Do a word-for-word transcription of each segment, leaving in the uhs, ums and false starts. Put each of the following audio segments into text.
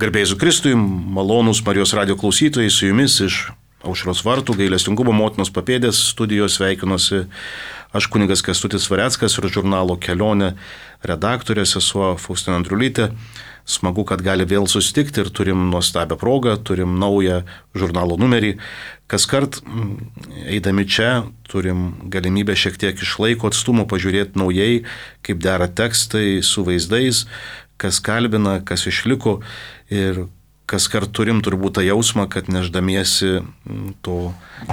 Garbėjai Jėzui Kristui, malonūs Marijos radijo klausytojai, su jumis iš Aušros vartų, gailestingumo motinos papėdės studijos sveikinuosi aš kunigas Kęstutis Vareckas ir žurnalo Kelionė redaktorė sesuo Faustina Andriulytė. Smagu, kad gali vėl susitikti ir turim nuostabią progą, turim naują žurnalo numerį. Kaskart eidami čia turim galimybę šiek tiek iš laiko atstumo pažiūrėti naujai, kaip dera tekstai su vaizdais, kas kalbina, kas išliko ir kaskart turim turbūt tą jausmą, kad neždamiesi to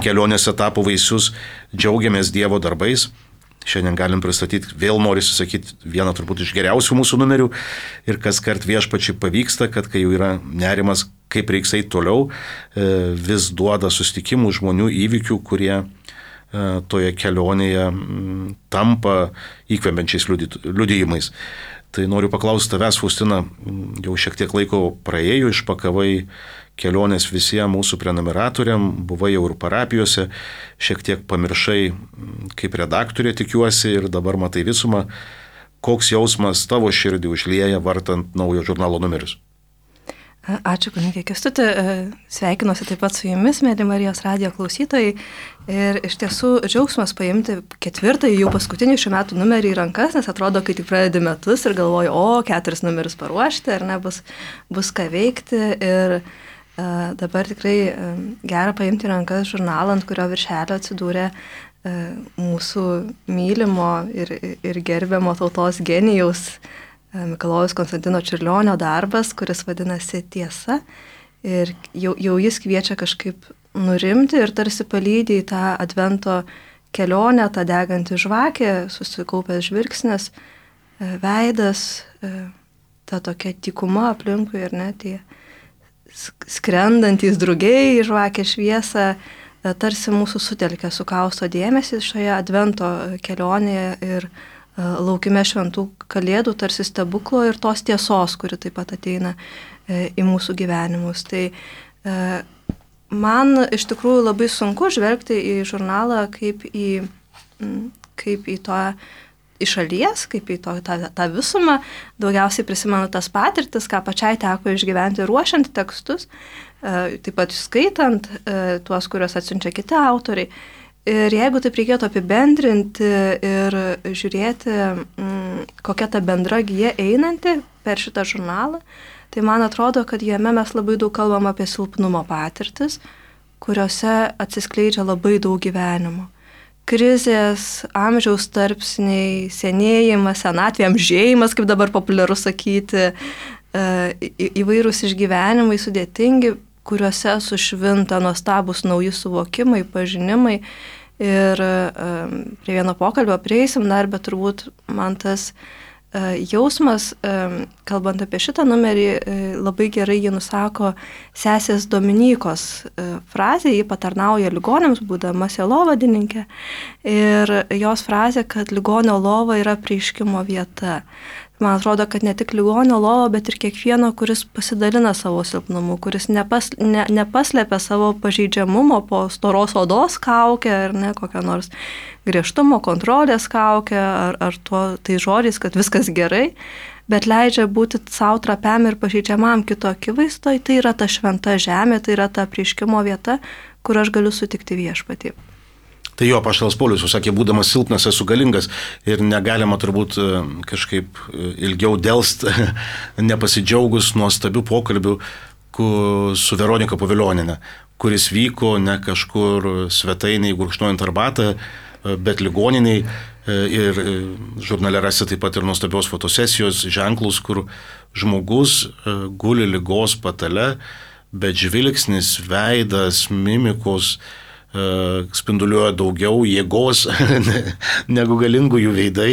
kelionės etapo vaisius džiaugiamės Dievo darbais. Šiandien galim pristatyti, vėl norisi sakyti, vieną turbūt iš geriausių mūsų numerių ir kaskart viešpačiai pavyksta, kad kai jau yra nerimas, kaip reiks eiti toliau, vis duoda susitikimų žmonių įvykių, kurie toje kelionėje tampa įkvepiančiais liudijimais. Tai noriu paklausti tavęs, Faustina, jau šiek tiek laiko praėjo, išpakavai kelionės visiems mūsų prenumeratoriam, buvai jau ir parapijose, šiek tiek pamiršai kaip redaktorė, tikiuosi, ir dabar matai visumą. Koks jausmas tavo širdį užlieja vartant naujo žurnalo numerius? Ačiū, kunigė Kęstuti. Sveikinuosi taip pat su jumis, mėly Marijos radijo klausytojai. Ir iš tiesų džiaugsmas paimti ketvirtąjį, jau paskutinį šių metų numerį į rankas, nes atrodo, kai tik pradedi metus ir galvoju, o, keturis numerius paruošti, ar ne, bus, bus ką veikti. Ir uh, dabar tikrai uh, gera paimti į rankas žurnalą, ant kurio viršelio atsidūrė uh, mūsų mylimo ir, ir gerbiamo tautos genijaus Mikalojaus Konstantino Čiurlionio darbas, kuris vadinasi Tiesa. Ir jau, jau jis kviečia kažkaip nurimti ir tarsi palydi į tą advento kelionę, tą degantį žvakę, susikaupęs žvilgsnis, veidas, ta tokia tykuma aplinkui ir net tie skrendantys drugiai į žvakę šviesą, tarsi mūsų sutelkia, sukausto dėmesį šioje advento kelionėje ir laukime šventų kalėdų, tarsi stebuklo ir tos tiesos, kuri taip pat ateina į mūsų gyvenimus. Tai man iš tikrųjų labai sunku žvelgti į žurnalą kaip į, kaip į to iš šalies, kaip į to, tą, tą visumą. Daugiausiai prisimenu tas patirtis, ką pačiai teko išgyventi ruošiant tekstus, taip pat skaitant tuos, kuriuos atsiunčia kiti autoriai. Ir jeigu taip reikėtų apibendrinti ir žiūrėti, kokia ta bendra gija einanti per šitą žurnalą, tai man atrodo, kad jame mes labai daug kalbam apie silpnumo patirtis, kuriuose atsiskleidžia labai daug gyvenimo. Krizės, amžiaus tarpsniai, senėjimas, senatvė, amžėjimas, kaip dabar populiaru sakyti, įvairūs išgyvenimai sudėtingi, kuriuose sušvinta nuostabus nauji suvokimai, pažinimai. Ir um, prie vieno pokalbio prieisim dar, bet turbūt man tas uh, jausmas, um, kalbant apie šitą numerį, uh, labai gerai jį nusako sesės Dominykos uh, frazė, ji patarnauja ligoniams, būdama sielovadininkė. Ir jos frazė, kad ligonio lova yra apreiškimo vieta. Man atrodo, kad ne tik ligonio lova, bet ir kiekvieno, kuris pasidalina savo silpnumu, kuris nepas, ne, nepaslepia savo pažeidžiamumo po storos odos kaukę, ar ne, kokią nors griežtumo kontrolės kaukę, ar, ar tuo tai žodžiais, kad viskas gerai, bet leidžia būti savo trapiam ir pažeidžiamam kito akivaizdoje. Tai yra ta šventa žemė, tai yra ta apreiškimo vieta, kur aš galiu sutikti viešpatį. Tai jo, apaštalas Paulius sakė, būdamas silpnas esu galingas ir negalima turbūt kažkaip ilgiau delst, nepasidžiaugus nuostabių pokalbių su Veronika Povilioniene, kuris vyko ne kažkur svetainiai gurkšnojant arbatą, bet ligoniniai, ir žurnale rasi taip pat ir nuostabios fotosesijos ženklus, kur žmogus guli ligos patale, bet žvilgsnis, veidas, mimikos spinduliuoja daugiau jėgos negu galingų jų veidai.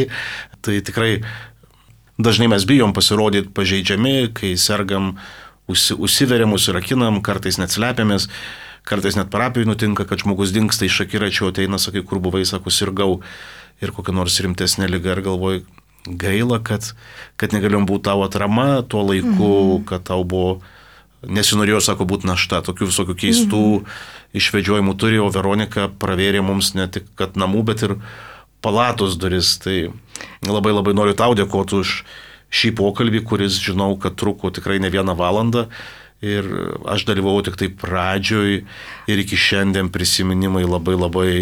Tai tikrai dažnai mes bijom pasirodyti pažeidžiami, kai sergam, užsi, užsiveriam, užsirakinam, kartais net slepiamės, kartais net parapijai nutinka, kad žmogus dingsta iš akiračio, ateina, sakai, kur buvai, sako, sirgau ir kokia nors rimtesnė liga ir galvoju, gaila, kad, kad negalėjom būti tavo atrama tuo laiku, mm-hmm. kad tau buvo, nesinorėjo, sako, būti našta, tokių visokių keistų mm-hmm. išvedžiojimų turi, o Veronika pravėrė mums ne tik kad namų, bet ir palatos duris. Tai labai labai noriu tau dėkoti už šį pokalbį, kuris žinau, kad truko tikrai ne vieną valandą. Ir aš dalyvau tik tai pradžioj ir iki šiandien prisiminimai labai labai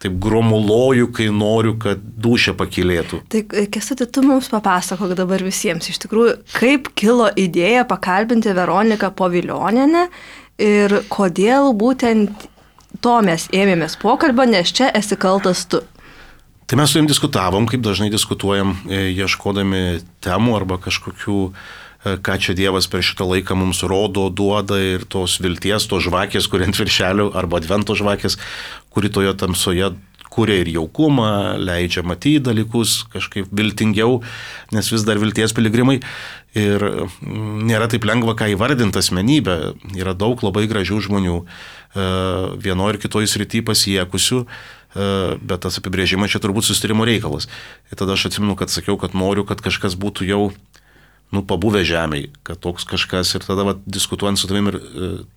taip gromuloju, kai noriu, kad dūšia pakilėtų. Tai Kęstuti, tu mums papasakok dabar visiems, iš tikrųjų, kaip kilo idėja pakalbinti Veroniką Povilionienę ir kodėl būtent to mes ėmėmės pokalbio, nes čia esi kaltas tu. Tai mes su jom diskutavom, kaip dažnai diskutuojam, ieškodami temų arba kažkokių, ką čia Dievas per šitą laiką mums rodo, duoda ir tos vilties, tos žvakės, kuri ant viršelių, arba advento žvakės, kuri toje tamsoje kuria ir jaukumą, leidžia matyti dalykus kažkaip viltingiau, nes vis dar vilties piligrimai. Ir nėra taip lengva, ką įvardinti asmenybę. Yra daug labai gražių žmonių, vienoje ir kitoje srityje pasiekusių, bet tas apibrėžimas čia turbūt susitarimo reikalas. Ir tada aš atsimenu, kad sakiau, kad noriu, kad kažkas būtų jau nu, pabuvę žemėj, kad toks kažkas. Ir tada va, diskutuojant su tavim ir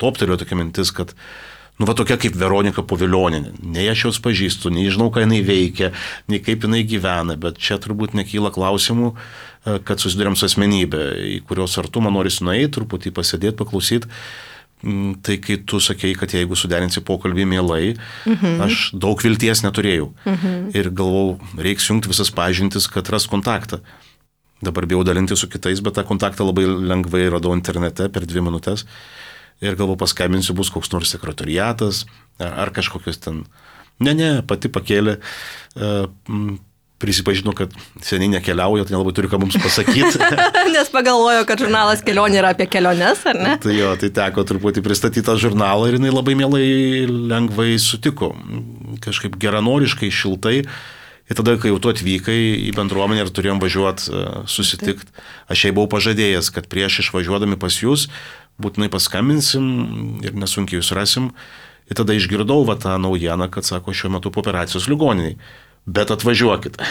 toptelėjo tokia mintis, kad nu, va tokia kaip Veronika Povilionienė. Nei aš jos pažįstu, nei žinau, ką jinai veikia, nei kaip jinai gyvena, bet čia turbūt nekyla klausimų, kad susidurėm su asmenybė, į kurios artumą norisi nueiti, truputį pasėdėti, paklausyti. Tai kai tu sakei, kad jeigu suderinsi pokalbį mielai, mhm. aš daug vilties neturėjau. Mhm. Ir galvau, reiks jungti visas pažintis, kad ras kontaktą. Dabar bijau dalinti su kitais, bet tą kontaktą labai lengvai radau internete per dvi minutės. Ir galvo paskambinsiu, bus koks nors sekretoriatas, ar, ar kažkokios ten. Ne, ne, pati pakėlė, prisipažino, kad seniai nekeliauja, tai nelabai turi ką mums pasakyti. Nes pagalvojo, kad žurnalas Kelionė yra apie keliones, ar ne? Tai jo, tai teko truputį pristatyti tą žurnalą ir jinai labai mielai, lengvai sutiko, kažkaip geranoriškai, šiltai. Ir tada, kai jau tu atvykai į bendruomenę ir turėjom važiuoti susitikti, aš jai buvau pažadėjęs, kad prieš išvažiuodami pas jūs, būtinai paskambinsim ir nesunkiai jūs rasim. Ir tada išgirdau va tą naujieną, kad sako, šiuo metu po operacijos ligoniniai. Bet atvažiuokit.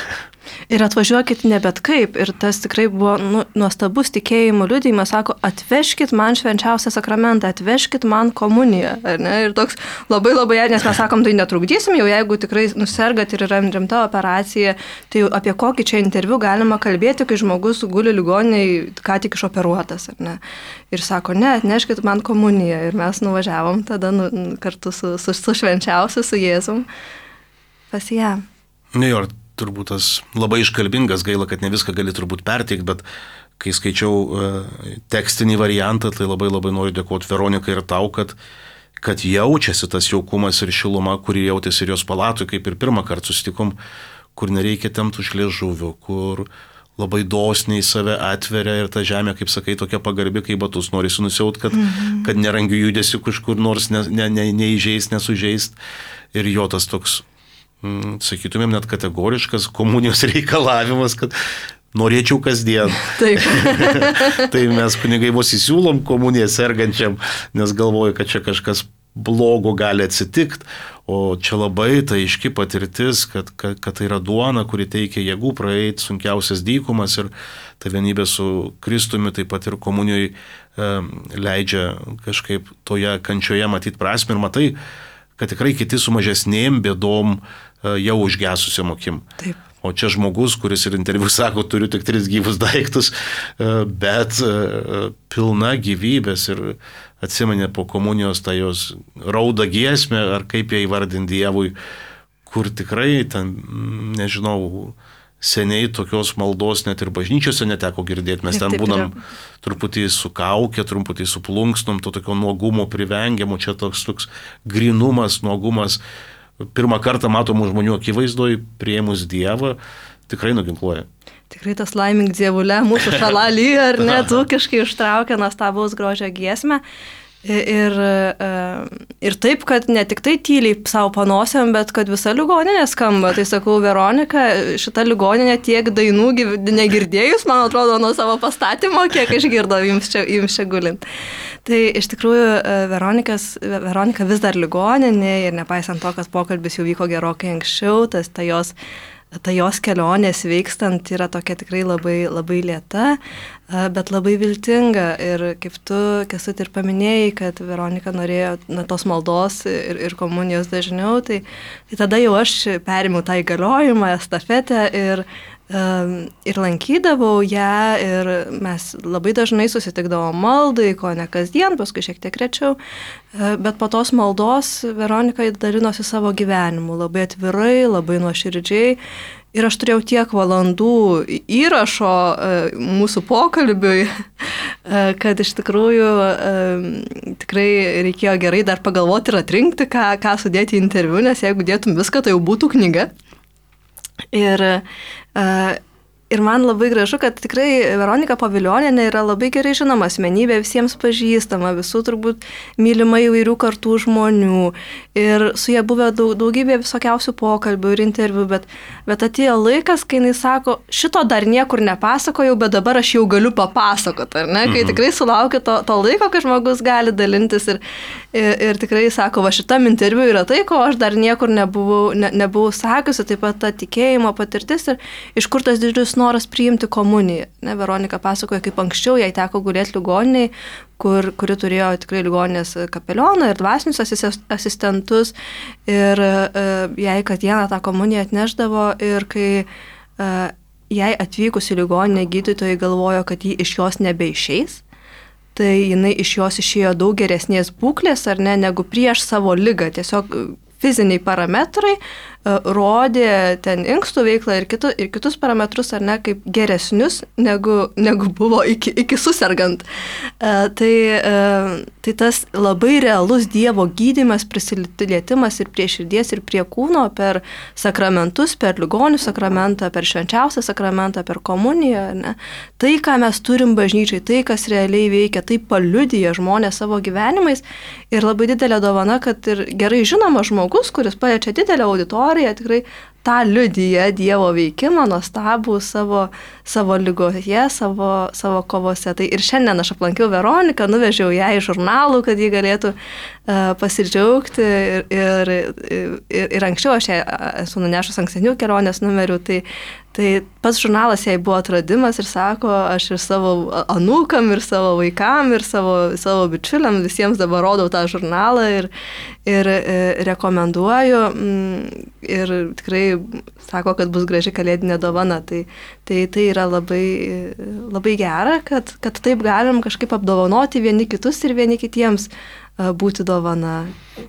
Ir atvažiuokit ne bet kaip. Ir tas tikrai buvo nu, nuostabus tikėjimo liudijimas. Sako, atvežkit man švenčiausią sakramentą, atvežkit man komuniją. Ar ne? Ir toks labai labai, nes mes sakom, tai netrukdysim, jau jeigu tikrai nusergat ir yra rimta operacija, tai apie kokį čia interviu galima kalbėti, kai žmogus guli ligoniai ką tik išoperuotas. Ar ne? Ir sako, ne, atneškit man komuniją. Ir mes nuvažiavom tada nu, kartu su, su, su švenčiausiu, su Jėzum pas ją. Ne, jo, turbūt tas labai iškalbingas, gaila, kad ne viską gali turbūt perteikti, bet kai skaičiau uh, tekstinį variantą, tai labai labai noriu dėkoti Veronikai ir tau, kad, kad jaučiasi tas jaukumas ir šiluma, kurį jautėsi ir jos palatui, kaip ir pirmą kartą susitikom, kur nereikia tempti už liežuvio, kur labai dosniai save atveria ir ta žemė, kaip sakai, tokia pagarbi, kaip batus norisi nusiaut, kad, mm-hmm. kad nerangiu judesiu kažkur nors ne, ne, ne, neįžeist, nesužeist. Ir jo tas toks, sakytumėm, net kategoriškas komunijos reikalavimas, kad norėčiau kasdien. Taip. Tai mes kunigai vos įsiūlom komuniją sergančiam, nes galvoju, kad čia kažkas blogo gali atsitikti, o čia labai tai aiški patirtis, kad, kad, kad tai yra duona, kuri teikia jėgų praeiti sunkiausias dykumas ir ta vienybė su Kristumi taip pat ir komunijoje e, leidžia kažkaip toje kančioje matyti prasmę ir matai, kad tikrai kiti su mažesnėm bėdom jau užgesusiam akim. Taip. O čia žmogus, kuris ir interviu sako, turiu tik tris gyvus daiktus, bet pilna gyvybės ir atsimenė po komunijos tą jos raudą giesmę, ar kaip ją įvardinti Dievui, kur tikrai ten, nežinau, seniai tokios maldos net ir bažnyčiose neteko girdėti. Mes ten būnam truputį su kaukė, truputį su plunksnom, to tokio nuogumo privengiamo, čia toks, toks grinumas, nuogumas. Pirmą kartą matomų žmonių akivaizdoj, priėmus Dievą, tikrai nuginkluoja. Tikrai tas laimink Dievulė, mūsų šalalį, ar ne, tūkiškai ištraukia nuostabaus grožio giesmę. Ir, ir taip, kad ne tik tai tyliai savo panosiam, bet kad visa ligoninė skamba. Tai sakau, Veronika, šita ligoninė tiek dainų negirdėjus, man atrodo, nuo savo pastatymo, kiek išgirdo jums čia, jums čia gulint. Tai iš tikrųjų Veronika vis dar ligoninė ir nepaisant to, kad pokalbis jau vyko gerokai anksčiau, tas ta jos, ta jos kelionė sveikstant yra tokia tikrai labai, labai lėta, bet labai viltinga. Ir kaip tu, Kęstuti, ir paminėjai, kad Veronika norėjo na, tos maldos ir, ir komunijos dažniau, tai, tai tada jau aš perėmiau tą įgaliojimą, estafetę ir ir lankydavau ją ir mes labai dažnai susitikdavom maldai, ko ne kasdien, paskui šiek tiek rečiau, bet po tos maldos Veronika dalinosi savo gyvenimu labai atvirai, labai nuoširdžiai. Ir aš turėjau tiek valandų įrašo mūsų pokalbiui, kad iš tikrųjų tikrai reikėjo gerai dar pagalvoti ir atrinkti, ką, ką sudėti į interviu, nes jeigu dėtum viską, tai jau būtų knyga. Ir, ir man labai gražu, kad tikrai Veronika Povilionienė yra labai gerai žinoma asmenybė, visiems pažįstama, visų turbūt mylima įvairių kartų žmonių. Ir su ja buvę daug, daugybė visokiausių pokalbių ir interviu, bet, bet atėjo laikas, kai jinai sako, šito dar niekur nepasakojau, bet dabar aš jau galiu papasakoti, ar ne? Kai mhm. tikrai sulaukia to, to laiko, kai žmogus gali dalintis ir, ir, ir tikrai sako, va šitam interviu yra tai, ko aš dar niekur nebuvau, ne, nebuvau sakiusi, taip pat ta tikėjimo patirtis ir iš kur tas didžiulis noras priimti komuniją. Ne, Veronika pasakoja, kaip anksčiau jai teko gulėti ligoniniai, kur, kuri turėjo tikrai ligoninės kapelioną ir dvasinius asistentus ir uh, jai kasdieną tą komuniją atnešdavo ir kai uh, jai atvykus į ligoninę gydytojai galvojo, kad ji iš jos nebeišeis, tai jinai iš jos išėjo daug geresnės būklės ar ne, negu prieš savo ligą. Tiesiog fiziniai parametrai uh, rodė ten inkstų veiklą ir, kitu, ir kitus parametrus, ar ne, kaip geresnius, negu, negu buvo iki, iki susirgant. Uh, tai, uh, tai tas labai realus Dievo gydymas, prisilietimas ir prie širdies, ir prie kūno per sakramentus, per ligonių sakramentą, per švenčiausią sakramentą, per komuniją. Ne? Tai, ką mes turim bažnyčiai, tai, kas realiai veikia, tai paliudija žmonės savo gyvenimais ir labai didelė dovana, kad ir gerai žinoma žmogus, kuris paliečia didelę auditoriją, tikrai tą liudyja Dievo veikimą, nuostabų savo, savo ligoje, savo, savo kovose. Tai ir šiandien aš aplankiau Veroniką, nuvežiau ją į žurnalų, kad ji galėtų uh, pasidžiaugti ir, ir, ir, ir anksčiau aš ją esu nunešus ankstesnių kelionės numerių, tai, tai pats žurnalas jai buvo atradimas ir sako, aš ir savo anūkam, ir savo vaikam, ir savo, savo bičiuliam visiems dabar rodau tą žurnalą ir, ir, ir rekomenduoju ir tikrai sako, kad bus graži kalėdinė dovana. Tai, tai, tai yra labai, labai gera, kad, kad taip galim kažkaip apdovanoti vieni kitus ir vieni kitiems būti dovana.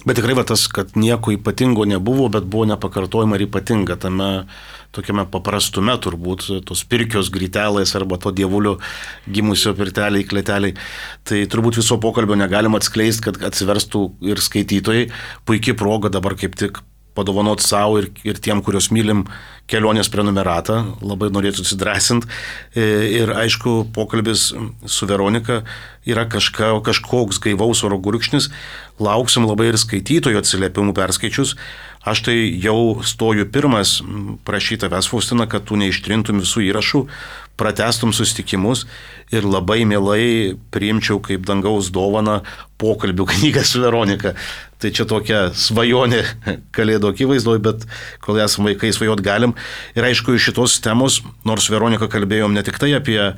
Bet tikrai va tas, kad nieko ypatingo nebuvo, bet buvo nepakartojama ir ypatinga tame tokiame paprastume turbūt, tos pirkios grytelės arba to dievulio gimusio pirteliai, kleteliai. Tai turbūt viso pokalbio negalima atskleisti, kad atsiverstų ir skaitytojai. Puikiai proga dabar kaip tik padovanoti savo ir, ir tiem, kurios mylim, kelionės prenumeratą. Labai norėtų atsidrasinti. Ir aišku, pokalbis su Veronika yra kažka, kažkoks gaivaus oro gurkšnis. Lauksim labai ir skaitytojų atsiliepimų perskaičius. Aš tai jau stoju pirmas prašyti tavęs, Faustina, kad tu neištrintum visų įrašų, pratęstum susitikimus ir labai mielai priimčiau kaip dangaus dovaną pokalbių knygą su Veronika. Tai čia tokia svajonė kalėdų akivaizdoj, bet kol esame vaikai svajot galim. Ir aišku, iš šitos temos, nors Veronika kalbėjom ne tik tai apie e,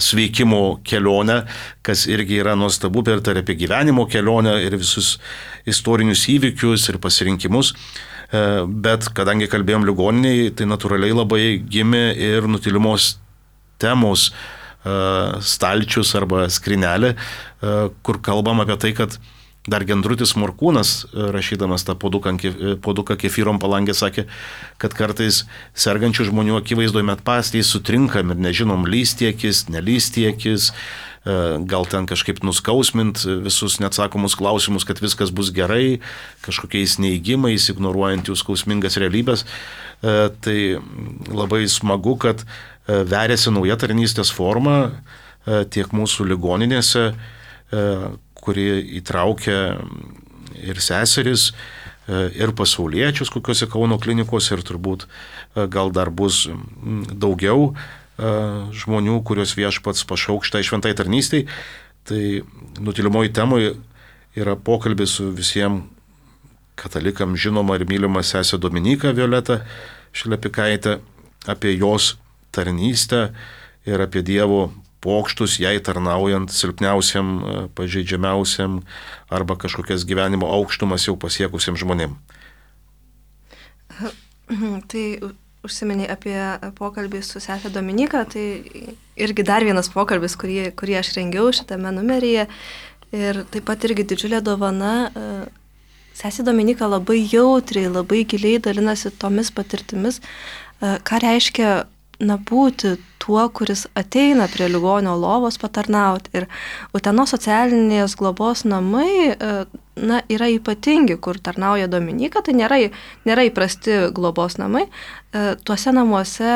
sveikimo kelionę, kas irgi yra nuostabu, bet ir apie gyvenimo kelionę ir visus istorinius įvykius ir pasirinkimus. E, bet kadangi kalbėjom ligoniniai, tai natūraliai labai gimė ir nutylimos temos e, stalčius arba skrinelė, e, kur kalbam apie tai, kad dar Gendrutis Morkūnas, rašydamas tą poduką kefyrom palangę, sakė, kad kartais sergančių žmonių akivaizdoje metpastiai sutrinkam ir nežinom, lystiekis, nelystiekis, gal ten kažkaip nuskausmint visus neatsakomus klausimus, kad viskas bus gerai, kažkokiais neigimais, ignoruojant jų skausmingas realybės. Tai labai smagu, kad veriasi nauja tarnystės forma tiek mūsų ligoninėse, kuri įtraukia ir seseris, ir pasauliečius kokiuose Kauno klinikose, ir turbūt gal dar bus daugiau žmonių, kurios viešpats pašauks šitai šventai tarnystei. Tai nutylimoji temoje yra pokalbis su visiems katalikam žinoma ir mylima sesė Dominika Violeta Šlepikaitė apie jos tarnystę ir apie Dievo pokštus jai tarnaujant silpniausiam, pažeidžiamiausiam arba kažkokias gyvenimo aukštumas jau pasiekusiam žmonėm. Tai užsiminiai apie pokalbį su sesė Dominika, tai irgi dar vienas pokalbis, kurį, kurį aš rengiau šitame numeryje. Ir taip pat irgi didžiulė dovana. Sesė Dominika labai jautriai, labai giliai dalinasi tomis patirtimis, ką reiškia na, būti tuo, kuris ateina prie ligonio lovos patarnauti. Ir Utenos socialinės globos namai na, yra ypatingi, kur tarnauja Dominika, tai nėra, nėra įprasti globos namai. Tuose namuose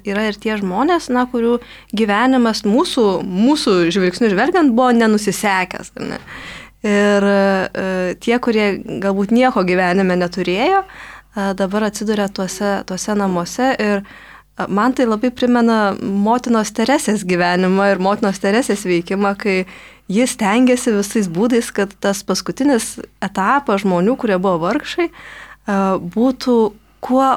yra ir tie žmonės, na, kurių gyvenimas mūsų, mūsų žvilgsnių žvelgiant buvo nenusisekęs. Ne? Ir tie, kurie galbūt nieko gyvenime neturėjo, dabar atsiduria tuose, tuose namuose ir man tai labai primena motinos Teresės gyvenimą ir motinos Teresės veikimą, kai jis stengiasi visais būdais, kad tas paskutinis etapas žmonių, kurie buvo vargšai, būtų kuo,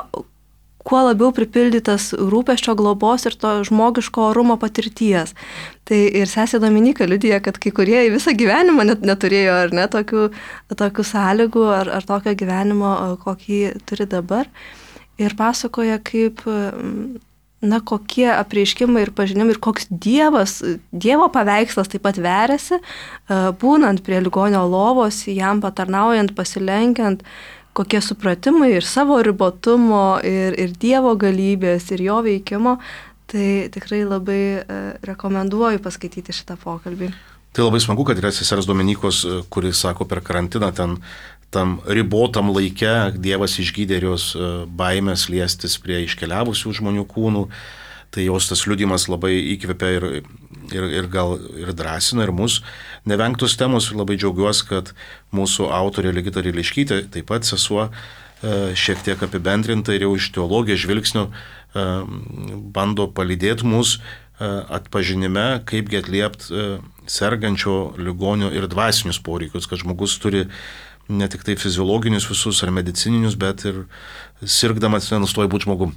kuo labiau pripildytas rūpesčio, globos ir to žmogiško orumo patirties. Tai ir sesė Dominika liudija, kad kai kurie visą gyvenimą net neturėjo ar ne tokių, tokių sąlygų ar, ar tokio gyvenimo, kokį turi dabar. Ir pasakoja, kaip, na, kokie apreiškimai ir pažinimai ir koks dievas, dievo paveikslas taip pat veriasi, būnant prie ligonio lovos, jam patarnaujant, pasilenkiant, kokie supratimai ir savo ribotumo, ir, ir dievo galybės, ir jo veikimo. Tai tikrai labai rekomenduoju paskaityti šitą pokalbį. Tai labai smagu, kad yra sesers Dominikos, kuris sako per karantiną ten tam ribotam laike Dievas išgydė ir jos baimės liestis prie iškeliavusių žmonių kūnų. Tai jos tas liudijimas labai įkvepia ir, ir, ir gal ir drąsina ir mus. Nevengtos temos ir labai džiaugiuosi, kad mūsų autorė Ligita Ryliškytė, taip pat sesuo, šiek tiek apibendrinta ir jau iš teologijos žvilgsnio bando palydėti mus atpažinime, kaipgi atliepti sergančio ligonio ir dvasinius poreikius, kad žmogus turi ne tik tai fiziologinius visus ar medicininius, bet ir sirgdamas nenustoja būti žmogum.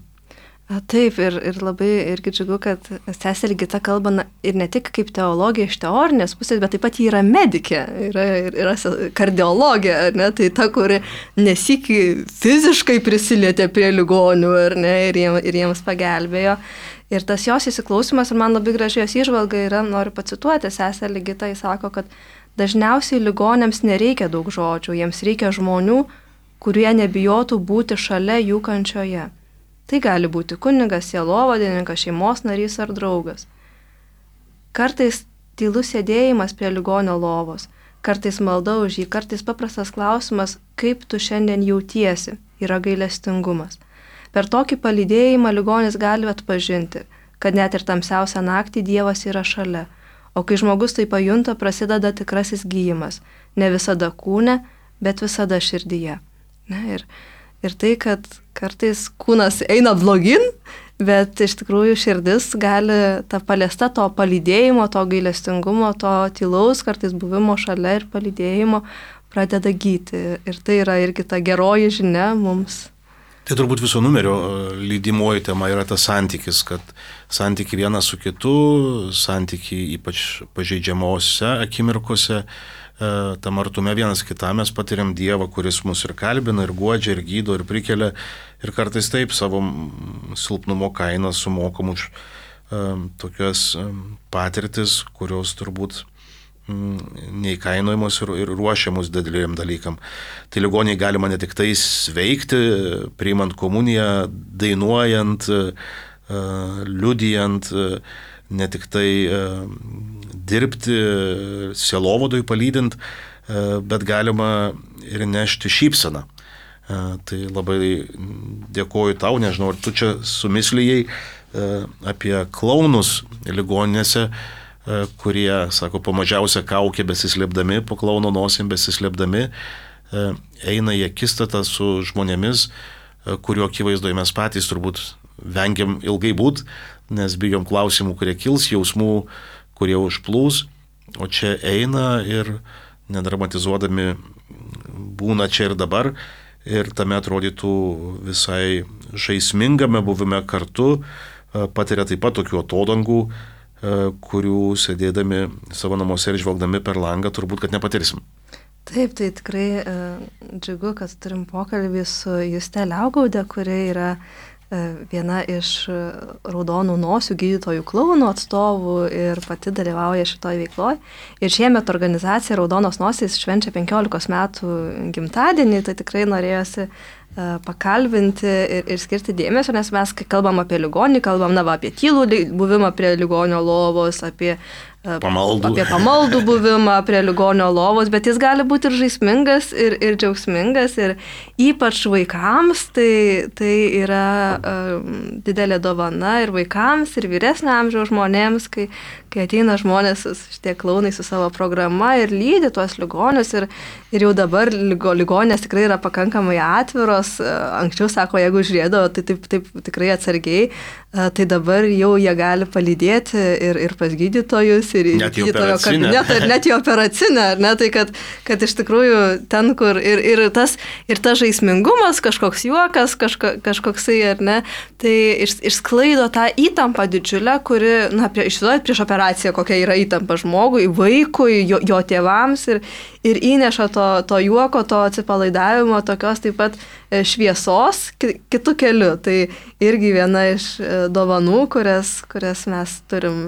Taip, ir, ir labai irgi džiugu, kad sesė Ligita kalba ir ne tik kaip teologija iš teorinės pusės, bet taip pat ji yra medikė, yra, yra kardiologė, ne? Tai ta, kuri nesikį fiziškai prisilietė prie ligonių ar ne, ir, jiem, ir jiems pagelbėjo. Ir tas jos įsiklausimas, ir man labai gražiai jos įžvalga yra, noriu pacituoti, sesė Ligita, jis sako, kad dažniausiai ligonėms nereikia daug žodžių, jiems reikia žmonių, kurie nebijotų būti šalia jų kančioje. Tai gali būti kunigas, sielovadininkas, šeimos narys ar draugas. Kartais tylus sėdėjimas prie ligonio lovos, kartais malda už jį, kartais paprastas klausimas, kaip tu šiandien jautiesi, yra gailestingumas. Per tokį palydėjimą ligonis gali atpažinti, kad net ir tamsiausią naktį Dievas yra šalia. O kai žmogus tai pajunta, prasideda tikrasis gyjimas. Ne visada kūne, bet visada širdyje. Ne, ir, ir tai, kad kartais kūnas eina blogin, bet iš tikrųjų širdis gali tą paliesta to palydėjimo, to gailestingumo, to tylaus kartais buvimo šalia ir palydėjimo pradeda gyti. Ir tai yra irgi ta geroji žinia mums. Tai turbūt viso numerio lydimoji tema yra tas santykis, kad santykiai vienas su kitu, santykiai ypač pažeidžiamose akimirkose, tam artume vienas kitam mes patiriam Dievą, kuris mus ir kalbina, ir guodžia, ir gydo, ir prikelia, ir kartais taip savo silpnumo kainą sumokam už tokias patirtis, kurios turbūt neįkainojamos ir, ir ruošiamus dideliem dalykam. Tai ligoniai galima ne tik tai sveikti, priimant komuniją, dainuojant, liudijant, ne tik tai dirbti, sielovadui palydint, bet galima ir nešti šypseną. Tai labai dėkoju tau, nežinau, ar tu čia sumislijai apie klaunus ligoninėse, kurie, sako, po mažiausią kaukę besislėpdami, po klauno nosim besislėpdami, eina į akistatą su žmonėmis, kurio akivaizdoje mes patys turbūt vengiam ilgai būt, nes bijom klausimų, kurie kils, jausmų, kurie užplūs, o čia eina ir nedramatizuodami būna čia ir dabar, ir tame atrodytų visai žaismingame buvime kartu, patiria taip pat tokių atodangų, kurių sėdėdami savo namuose ir žvelgdami per langą turbūt, kad nepatirsim. Taip, tai tikrai uh, džiugu, kad turim pokalbį su Juste Liaugaudė, kuri yra uh, viena iš raudonų nosių gydytojų klounų atstovų ir pati dalyvauja šitoj veikloje. Ir šiemet organizacija Raudonos nosys švenčia penkiolikos metų gimtadienį, tai tikrai norėjosi pakalbinti ir, ir skirti dėmesio, nes mes, kai kalbam apie ligonį, kalbam na, va, apie tylų buvimą prie ligonio lovos, apie pamaldų, apie pamaldų buvimą prie ligonio lovos, bet jis gali būti ir žaismingas, ir, ir džiaugsmingas, ir ypač vaikams tai, tai yra um, didelė dovana ir vaikams, ir vyresnio amžiaus žmonėms, kai, kai ateina žmonės, šitie klounai su savo programa ir lydi tuos ligonius, ir, ir jau dabar ligo, ligonės tikrai yra pakankamai atviros, anksčiau sako, jeigu žiūrėdavo, tai taip, taip tikrai atsargiai, tai dabar jau jie gali palydėti ir, ir pas gydytojus, ir į gydytojo kabinetą, ir net į operacinę, ne, tai kad, kad iš tikrųjų ten, kur ir, ir, tas, ir tas žaismingumas, kažkoks juokas, kažko, kažkoksai, ar ne, tai iš, išsklaido tą įtampą didžiulę, kuri, na, prie, išsiduoja prieš operaciją, kokia yra įtampa žmogui, vaikui, jo, jo tėvams, ir, ir įneša to, to juoko, to atsipalaidavimo, tokios taip pat šviesos kitų kelių. Tai irgi viena iš dovanų, kurias, kurias mes turim.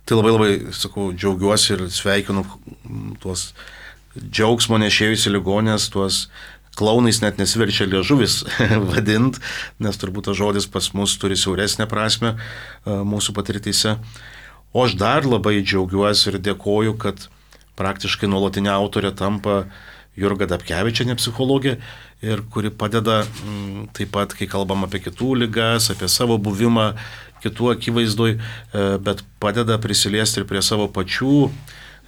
Tai labai labai, sakau, džiaugiuosi ir sveikinu tuos džiaugsmo nešėjus į ligonės, tuos klounais net nesiverčia liežuvis vadint, nes turbūt tas žodis pas mus turi siauresnę prasme mūsų patirtyse. O aš dar labai džiaugiuosi ir dėkoju, kad praktiškai nuolatinė autorė tampa Jurga Dapkevičienė, psichologė, ir kuri padeda m, taip pat, kai kalbam apie kitų ligas, apie savo buvimą kitų akivaizdoj, bet padeda prisiliesti ir prie savo pačių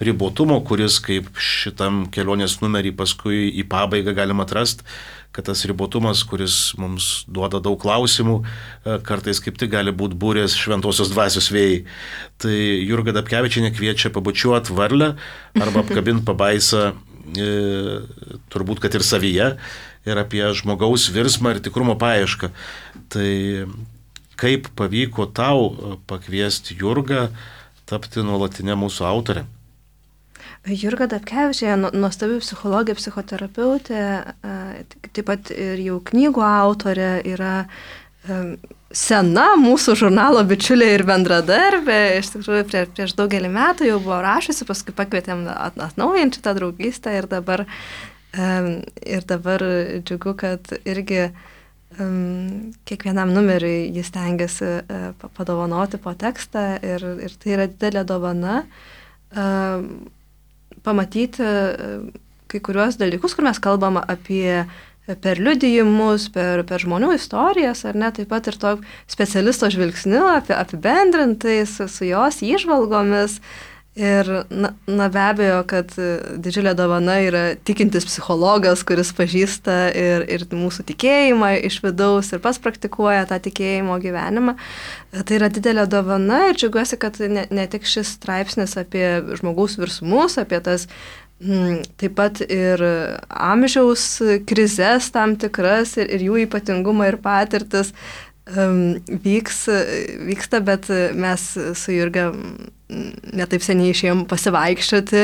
ribotumo, kuris kaip šitam kelionės numerį paskui į pabaigą galima atrasti, kad tas ribotumas, kuris mums duoda daug klausimų, kartais kaip tik gali būti būrės šventosios dvasios vėjai. Tai Jurga Dapkevičienė kviečia pabučiuoti varlę arba apkabinti pabaisą, e, turbūt, kad ir savyje, ir apie žmogaus virsmą ir tikrumo paiešką. Tai kaip pavyko tau pakviesti Jurgą tapti nuolatinę mūsų autorę? Jurga Dapkevičienė, nuostabi psichologė, psichoterapeutė, taip pat ir jau knygų autorė, yra sena mūsų žurnalo bičiulė ir bendradarbė. Iš tikrųjų, prie, prieš daugelį metų jau buvo rašusi, paskui pakvietėm atnaujinti tą draugystę ir dabar, ir dabar džiugu, kad irgi kiekvienam numeriui jis tengiasi padovanoti po tekstą ir, ir tai yra didelė dovana. Pamatyti kai kuriuos dalykus, kur mes kalbam apie per liudijimus, per, per žmonių istorijas, ar ne, taip pat ir to specialisto žvilgsniu, apie, apibendrintais su jos įžvalgomis. Ir na, na be abejo, kad didžiulė dovana yra tikintis psichologas, kuris pažįsta ir, ir mūsų tikėjimą iš vidaus ir pats praktikuoja tą tikėjimo gyvenimą. Tai yra didelė dovana ir džiaugiuosi, kad ne, ne tik šis straipsnis apie žmogaus virsmus, apie tas m, taip pat ir amžiaus krizes tam tikras ir, ir jų ypatingumą ir patirtis um, vyks, vyksta, bet mes su Jurga netaip seniai išėjom pasivaikščioti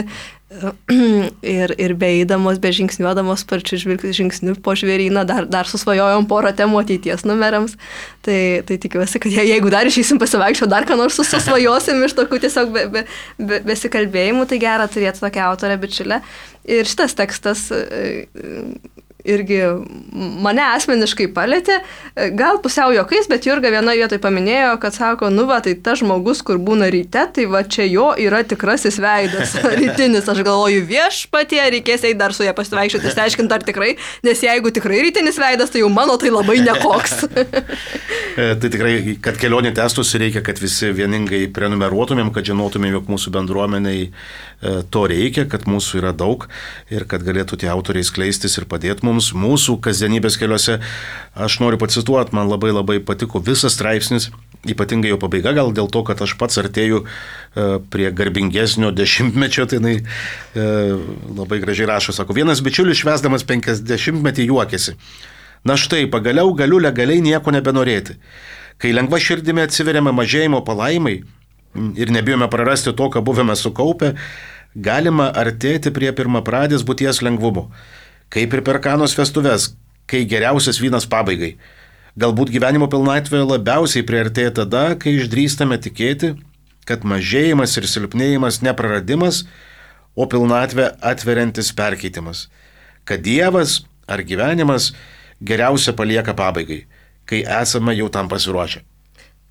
ir, ir beeidamos, bežingsniuodamos sparčiu žingsniu po žvėryną, dar, dar susvajojom porą temų ateities numeriams. Tai, tai tikiuosi, kad jeigu dar išeisim pasivaikščioti, dar ką nors susvajosim iš tokių tiesiog be, be, be, besikalbėjimų, tai gera turėti tokią autorę bičiulę. Ir šitas tekstas irgi mane asmeniškai palėtė, gal pusiau juokais, bet Jurga vienoje vietoje paminėjo, kad sako, nu va, tai tas žmogus, kur būna ryte, tai va čia jo yra tikrasis veidas, rytinis. Aš galvoju, viešpatie, reikės eiti dar su ją pasivaikščioti, išsiaiškinti ar tikrai, nes jeigu tikrai rytinis veidas, tai jau mano tai labai nekoks. Tai tikrai, kad kelionė tęstųsi, reikia, kad visi vieningai prenumeruotumėm, kad žinotumėm, jog mūsų bendruomeniai to reikia, kad mūsų yra daug ir kad galėtų tie autoriai skleistis ir padėti mums mūsų kasdienybės keliuose. Aš noriu pacituoti, man labai labai patiko visas straipsnis, ypatingai jo pabaiga, gal dėl to, kad aš pats artėju prie garbingesnio dešimtmečio, tai jinai labai gražiai rašo, sako, vienas bičiulis švęsdamas penkiasdešimtmetį juokėsi. Na štai, pagaliau galiu legaliai nieko nebenorėti. Kai lengva širdimi atsiveriame mažėjimo palaimai ir nebijome prarasti to, ką buvome sukaupę, galima artėti prie pirmapradės būties lengvumo. Kaip ir per Kanos vestuves, kai geriausias vynas pabaigai. Galbūt gyvenimo pilnatvė labiausiai priartėja tada, kai išdrįstame tikėti, kad mažėjimas ir silpnėjimas nepraradimas, o pilnatvė atveriantis perkeitimas. Kad Dievas ar gyvenimas geriausia palieka pabaigai, kai esame jau tam pasiruošę.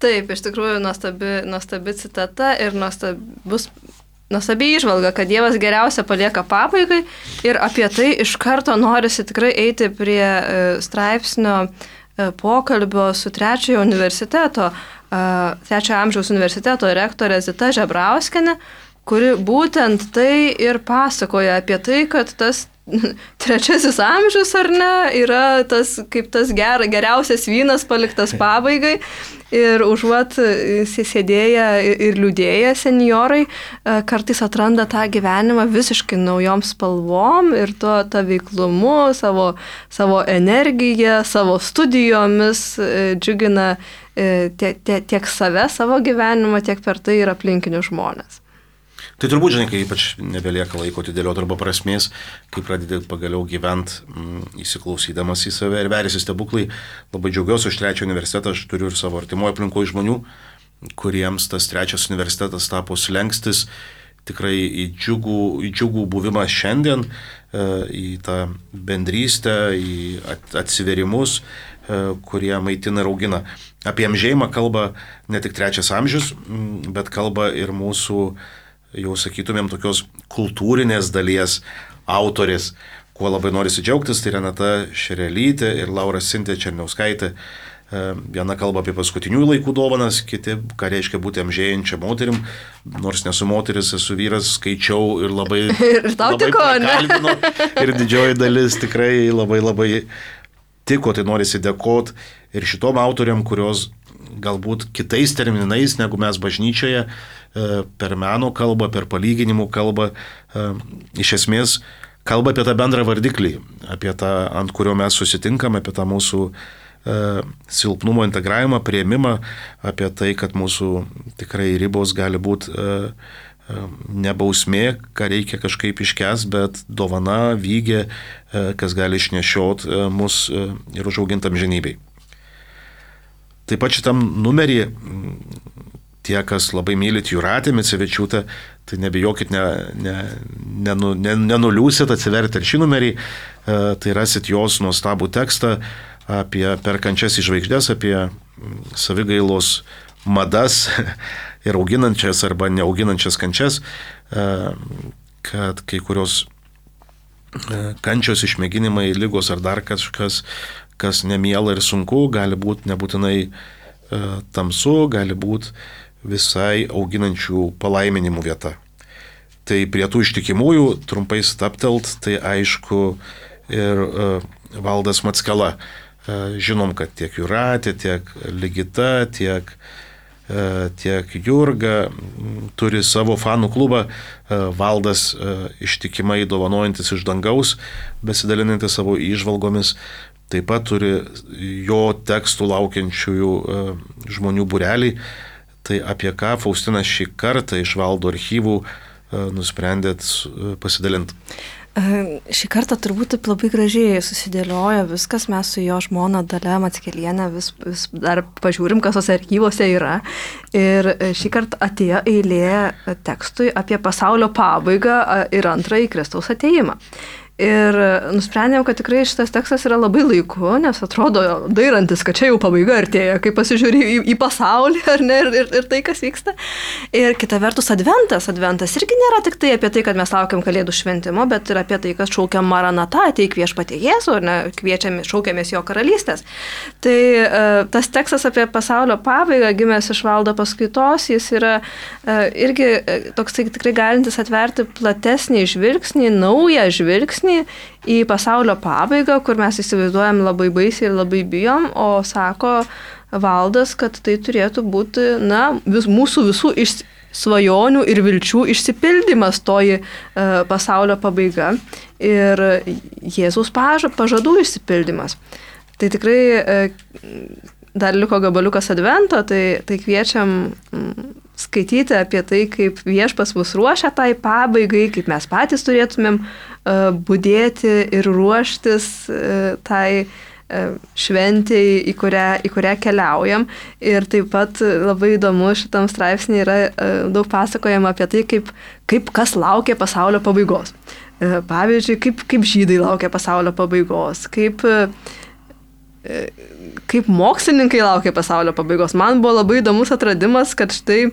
Taip, iš tikrųjų nuostabi, nuostabi citata ir nuostabus, nuostabi įžvalga, kad Dievas geriausia palieka pabaigai ir apie tai iš karto norisi tikrai eiti prie straipsnio pokalbio su trečiojo universiteto, trečiojo amžiaus universiteto rektorė Zita Žebrauskienė, kuri būtent tai ir pasakoja apie tai, kad tas trečiasis amžius, ar ne, yra tas, kaip tas ger, geriausias vynas paliktas pabaigai ir užuot sėdėję ir liūdėję senjorai kartais atranda tą gyvenimą visiškai naujom spalvom ir to tą veiklumu, savo, savo energiją, savo studijomis džiugina tiek, tiek, tiek save, savo gyvenimą, tiek per tai ir aplinkinius žmonės. Tai turbūt, žinai, kai ypač nebelieka laiko atidėlioti arba prasmės, kai pradedi pagaliau gyventi mm, įsiklausydamas į save ir veriasi stebuklai. Labai džiaugiuosi už trečią universitetą, aš turiu ir savo artimoje aplinkoje žmonių, kuriems tas trečias universitetas tapo slengstis tikrai į džiugų, į džiugų buvimą šiandien, į tą bendrystę, į atsiverimus, kurie maitina ir augina. Apie amžėjimą kalba ne tik trečias amžius, bet kalba ir mūsų, jau sakytumėm, tokios kultūrinės dalies autorės, kuo labai norisi džiaugtis, tai Renata Šerelytė ir Laura Sintė Černiauskaitė. Viena kalba apie paskutinių laikų dovanas, kiti, ką reiškia būti amžėjančia moterim, nors nesu moteris, esu vyras, skaičiau ir labai, ir labai prakalbino, ir didžioji dalis tikrai labai labai tiko, tai norisi dėkoti ir šitom autoriam, kurios galbūt kitais terminais negu mes bažnyčioje, per meno kalbą, per palyginimų kalbą, iš esmės kalba apie tą bendrą vardiklį, apie tą, ant kurio mes susitinkame, apie tą mūsų silpnumo integravimą, priėmimą, apie tai, kad mūsų tikrai ribos gali būti ne bausmė, ką reikia kažkaip iškęs, bet dovana, vygė, kas gali išnešiot mus ir užauginti amžinybei. Taip pat šitam numerį, tie, kas labai mylit Jūratę Micevičiūtę, tai nebijokit, nenuliūsit, ne, ne, ne, ne atsiverti ir šį numerį, tai rasit jos nuostabų tekstą apie perkančias į žvaigždės, apie savigailos madas ir auginančias arba neauginančias kančias, kad kai kurios kančios išmėginimai, lygos ar dar kažkas, kas nemiela ir sunku, gali būti nebūtinai tamsu, gali būti visai auginančių palaiminimų vieta. Tai prie tų ištikimųjų trumpai staptelt, tai aišku ir Valdas Mackela. Žinom, kad tiek Jūratė, tiek Ligita, tiek, tiek Jurga turi savo fanų klubą. Valdas ištikimai dovanojantis iš dangaus, besidalinantis savo įžvalgomis, taip pat turi jo tekstų laukiančiųjų žmonių būrelį. Tai apie ką Faustinas šį kartą iš Valdo archyvų nusprendėt pasidalinti? Šį kartą turbūt taip labai gražiai susidėliojo viskas, mes su jo žmona Dalia Mackelienė vis, vis dar pažiūrim, kas tos archyvose yra. Ir šį kartą atėjo eilė tekstui apie pasaulio pabaigą ir antrąjį Kristaus atėjimą. Ir nusprendėm, kad tikrai šitas tekstas yra labai laiku, nes atrodo dairantis, kad čia jau pabaiga artėja, kai pasižiūri į, į pasaulį ar ne, ir, ir, ir tai, kas vyksta. Ir kita vertus adventas. Adventas irgi nėra tik tai apie tai, kad mes laukiam Kalėdų šventimo, bet ir apie tai, kad šaukiam Maranatą, ateik viešpatie Jėzų, ar ne, kviečiam, šaukiamės jo karalystės. Tai tas tekstas apie pasaulio pabaigą, gimęs iš Valdo paskaitos, jis yra irgi toks tikrai galintis atverti platesnį žvilgsnį, naują žvilgsnį į pasaulio pabaigą, kur mes įsivaizduojam labai baisiai ir labai bijom, o sako Valdas, kad tai turėtų būti, na, vis, mūsų visų iš svajonių ir vilčių išsipildymas toji e, pasaulio pabaiga ir Jėzaus paža, pažadų išsipildymas. Tai tikrai e, dar liko gabaliukas advento, tai, tai kviečiam mm, skaityti apie tai, kaip viešpas mus ruošia tai pabaigai, kaip mes patys turėtumėm uh, budėti ir ruoštis uh, tai šventėj, į kurią, į kurią keliaujam. Ir taip pat labai įdomu šitam straipsnį yra daug pasakojama apie tai, kaip, kaip kas laukia pasaulio pabaigos. Pavyzdžiui, kaip, kaip žydai laukia pasaulio pabaigos, kaip kaip mokslininkai laukia pasaulio pabaigos. Man buvo labai įdomus atradimas, kad štai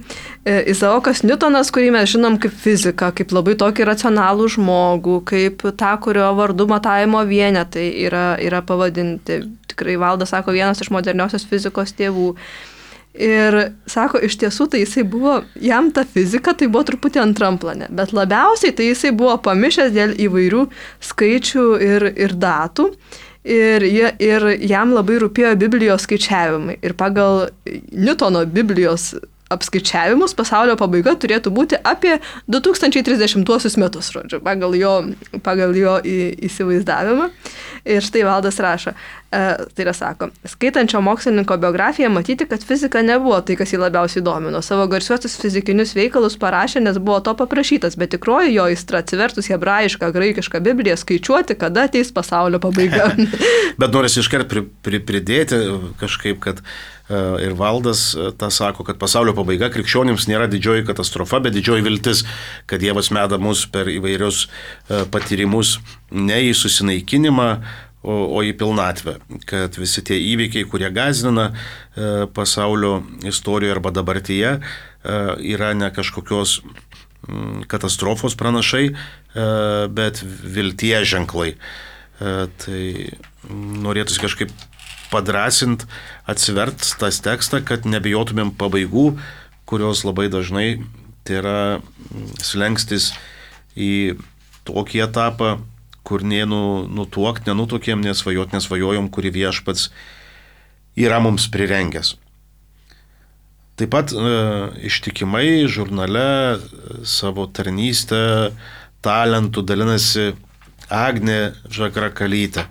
Izaokas Niutonas, kurį mes žinom kaip fiziką, kaip labai tokį racionalų žmogų, kaip tą, kurio vardu matavimo vienetai yra, yra pavadinti. Tikrai Valdas sako, vienas iš moderniosios fizikos tėvų. Ir sako, iš tiesų, tai jisai buvo, jam ta fizika tai buvo truputį antram plane, bet labiausiai tai jisai buvo pamišęs dėl įvairių skaičių ir, ir datų. Ir, ir jam labai rūpėjo Biblijos skaičiavimai. Ir pagal Niutono Biblijos apskaičiavimus pasaulio pabaiga turėtų būti apie du tūkstančiai trisdešimtuosius metus, žodžiu, pagal jo, pagal jo įsivaizdavimą. Ir štai Valdas rašo, e, tai yra sako, skaitančio mokslininko biografiją matyti, kad fizika nebuvo tai, kas jį labiausiai domino. Savo garsiuosius fizikinius veikalus parašė, nes buvo to paprašytas, bet tikroji jo aistra atsivertus hebrajišką, graikišką Bibliją skaičiuoti, kada ateis pasaulio pabaiga. Bet norisi iškart pri, pri, pridėti kažkaip, kad uh, ir Valdas uh, tą sako, kad pasaulio pabaiga krikščionims nėra didžioji katastrofa, bet didžioji viltis, kad Dievas meda mus per įvairius uh, patyrimus ne į susinaikinimą, o, o į pilnatvę, kad visi tie įvykiai, kurie gąsdina uh, pasaulio istorijoje arba dabartyje, uh, yra ne kažkokios um, katastrofos pranašai, uh, bet vilties ženklai. Uh, tai norėtųsi kažkaip padrasint, atsivert tas tekstą, kad nebijotumėm pabaigų, kurios labai dažnai tai yra slengstis į tokį etapą, kur nei nu, nutuokt, nenutuokėm, nesvajot, nesvajojom, kurį Viešpats yra mums prirengęs. Taip pat e, ištikimai žurnale savo tarnystę, talentų dalinasi Agnė Žagrakalytė.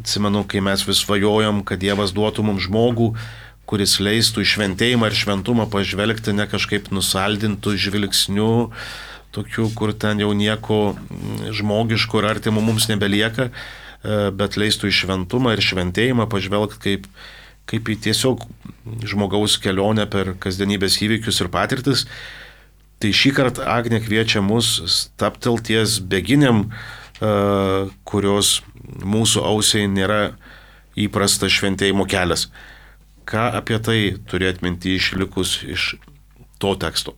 Atsimenu, kai mes vis svajojom, kad Dievas duotų mums žmogų, kuris leistų į šventėjimą ir šventumą pažvelgti ne kažkaip nusaldintų žvilgsnių, tokių, kur ten jau nieko žmogiško ir artimo mums nebelieka, bet leistų į šventumą ir šventėjimą pažvelgti kaip, kaip į tiesiog žmogaus kelionę per kasdienybės įvykius ir patirtis. Tai šį kartą Agnė kviečia mus stabtelties beginėm, kurios mūsų ausiai nėra įprastas šventėjimo kelias. Ką apie tai turėt minty išlikus iš to teksto?